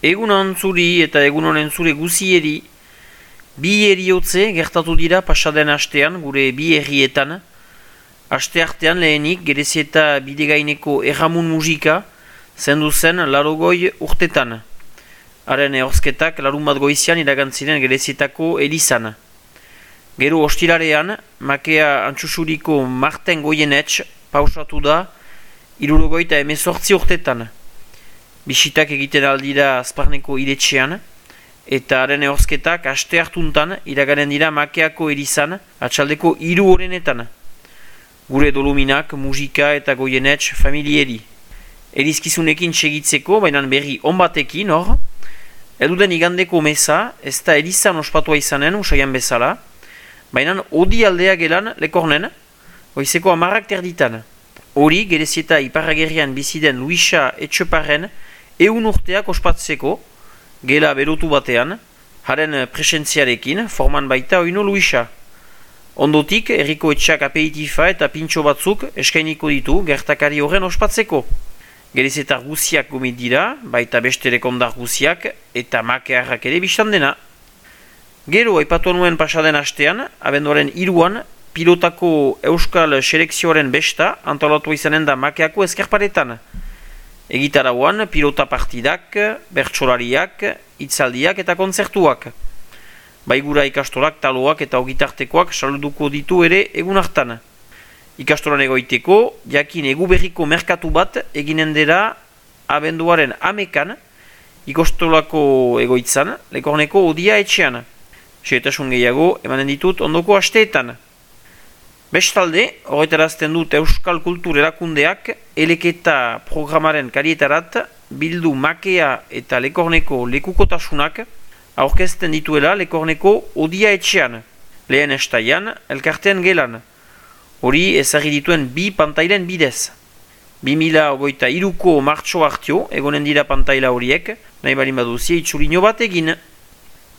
Egun antzuri eta egun honen zure guzieri, bi eriotze gertatu dira pasaden astean gure bi herrietan. Aste artean lehenik Gerezieta bidegaineko erramun musika zendu zen larogoi urtetan. Haren ehorzketak larun bat goizian iragantziren Gerezietako elizan. Gero ostilarean, makea antxusuriko Marten Goienetx pausatu da 78 urtetan. Bisitak egiten aldira Azparneko iretxean, eta haren ehorzketak aste hartuntan iraganen dira makeako elizan atxaldeko 3 horrenetan. Gure doluminak, musika eta Goienetx familieri. Elizkizunekin segitzeko, baina berri onbatekin hor, eduden igandeko meza, ez da elizan ospatua izanen, usaian bezala, baina odi aldea gelan lekornen, goizeko 10 terditan. Hori, Gerezieta iparragerrian biziden Luisa Etxeparren 100 urteak ospatzeko, gela berotu batean, haren presentziarekin, forman baita oino Luisa. Ondotik, herriko etxak aperitifa eta pintxo batzuk eskainiko ditu gertakari horren ospatzeko. Gerezetar guziak gomit dira, baita beste lekondar guziak eta makearrak ere biztan dena. Gero, aipatu nuen pasaden astean, abenduaren 3an, pilotako euskal selekzioaren besta antolatu izanen da makeako ezkerparetan. Egitarauan, pilota partidak, bertsolariak, hitzaldiak eta kontzertuak. Baigura ikastolak, taloak eta ogitartekoak saluduko ditu ere egun hartan. Ikastolan egoiteko, jakin eguberriko merkatu bat eginen dela abenduaren 11an, ikastolako egoitzan, Lekorneko odia etxean. Xehetasun gehiago emanen ditut ondoko asteetan. Bestalde, horretarazten dut Euskal Kultur Erakundeak eleketa programaren karietarat bildu makea eta Lekorneko lekukotasunak aurkezten dituela Lekorneko odia etxean, lehen estaian, elkartean gelan. Hori ezagri dituen 2 pantailen bidez. 2023ko martxo hartio egonen dira pantaila horiek, nahi balin baduzie itxulino bat egin.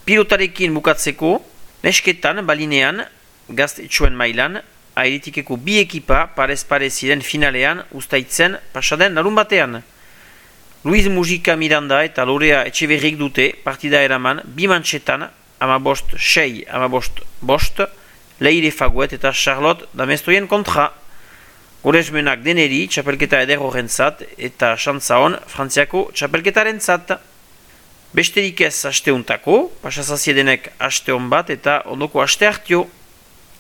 Pilotarekin bukatzeko, nesketan balinean, gaztetxoen mailan, airitikeko 2 ekipa parez-parez ziren finalean ustaitzen pasaden larun batean. Luiz Mujika Miranda eta Lorea Etxeberrik dute partida eraman 2 mantxetan, 15-6, 15-5, Leire Faguet eta Charlotte Damestoien kontra. Goresmenak deneri txapelketa eder horrentzat eta xantza hon Frantziako txapelketarentzat. Besterik ez asteuntako, pasazaziedenek aste hon bat eta ondoko aste hartio.